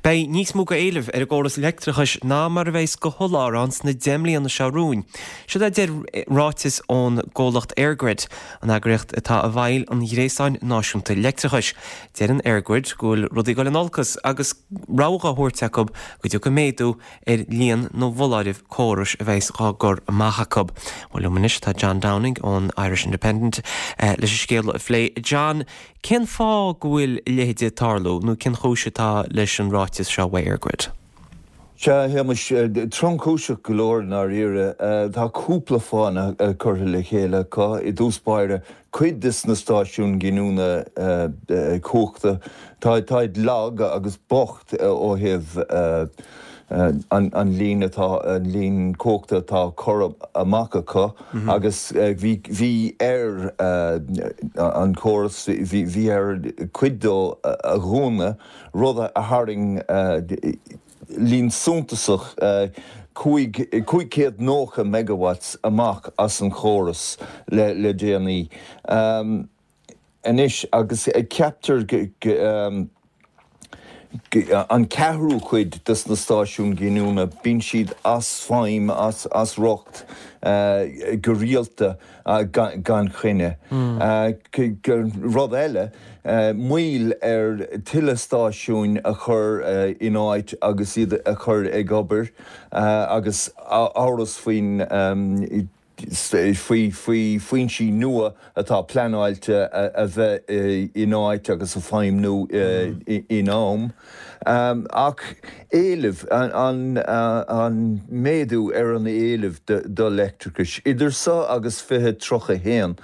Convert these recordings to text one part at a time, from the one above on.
Beidh níos mó go éileamh ar an gcóras leictreachais ná mar a bheas go sholáthar ann sna 10 mbliana seo romhainn. Siod é a deir ráiteas ón gcomhlacht EirGrid, an eagraíocht atá i bhfeighil an ghréasáin náisiúnta leictreachais. Deireann EirGrid go bhfuil rudaí ag dul in olcas agus rabhadh á thabhairt acu go dtiocfaidh méadú ar líon na bhfoláireamh córais a bheas dhá gcur amach acu. Bhuel liom anois tá John Downing ón Irish Independent leis an scéal a phlé. John, Cén fáth go bhfuil a leithéid ag tarlú nó cén chúis atá leis an ráiteas seo ó EirGrid? Sea, a Shéamais, tromchúiseach go leor i ndáiríre. Tá cúpla fáth curtha le chéile acu. I dtús báire, cuid de na stáisiúin giniúna cumhachta, táid lag agus bocht ó thaobh an líon atá, an líon cumhachta atá á cur amach acu. Agus bhí, bhí ar an chóras, bhí, bhí air cuid dó a dhúnadh, rud a tharraing líon suntasach, 590 megawatts amach as an chóras le, le déanaí. Anois, agus ceaptar go, an ceathrú cuid de na stáisiúin ghiniúna, bíonn siad as feidhm, as riocht go rialta gan choinne. Rud eile, moill ar tuilleadh stáisiúin a chur in áit agus iad a chur ag obair agus amhras faoin faoi foinsí nua atá pleanáilte a bheith in áit agus ag feidhmniú in am. Ach éileamh, an méadú ar an éileamh do leictreachais, idir seo agus 2031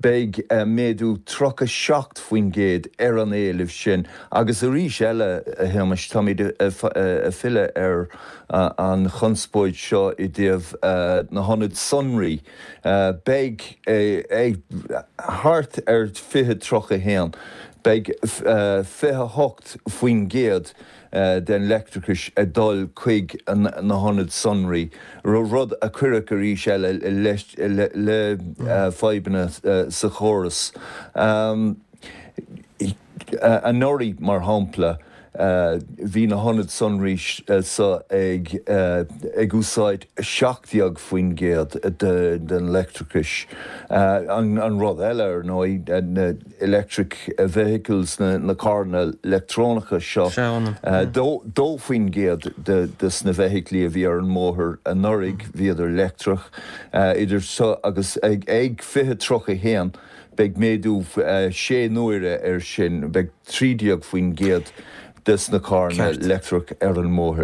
beidh méadú 37% ar an éileamh sin agus arís eile, a Shéamais, táimid ag filleadh ar an chonspóid seo i dtaobh na hionad sonraí. Beidh ag thart ar 2031, beidh 28% den leictreachais ag dul chuig na hionaid sonraí, rud a chuirfeadh arís eile le fadhbanna sa chóras. Anuraidh, mar shampla, bhí na hionaid sonraí seo ag úsáid 17% den leictreachais. An rud eile, ar ndóigh, na electric vehicles, na carranna leictreonacha seo, 2% de na feithiclí a bhí ar an mbóthar anuraidh, bhíodar leictreach. Idir seo agus ag 2031, Beidh méadú sé n-uaire air sin, beidh 13% des na carranna leictreach ar an mbóthar.